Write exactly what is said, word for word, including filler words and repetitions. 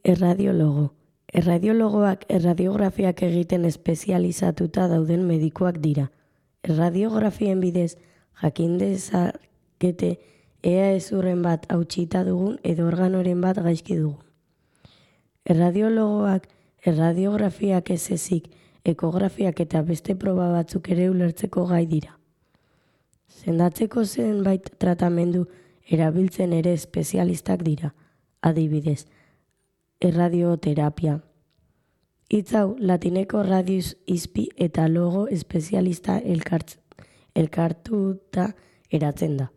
Erradiologo. Erradiologoak erradiografiak egiten espezializatuta dauden medikuak dira. Erradiografien bidez jakin dezakete ea hezurren bat hautsita dugun edo organoren bat gaizki dugun. Erradiologoak erradiografiak ez ezik, ekografiak eta beste proba batzuk ere ulertzeko gai dira. Sendatzeko zenbait tratamendu erabiltzen ere espezialistak dira, adibidez, erradioterapia. Hitz hau latineko radius izpi eta logo espezialista elkartuta eratzen da.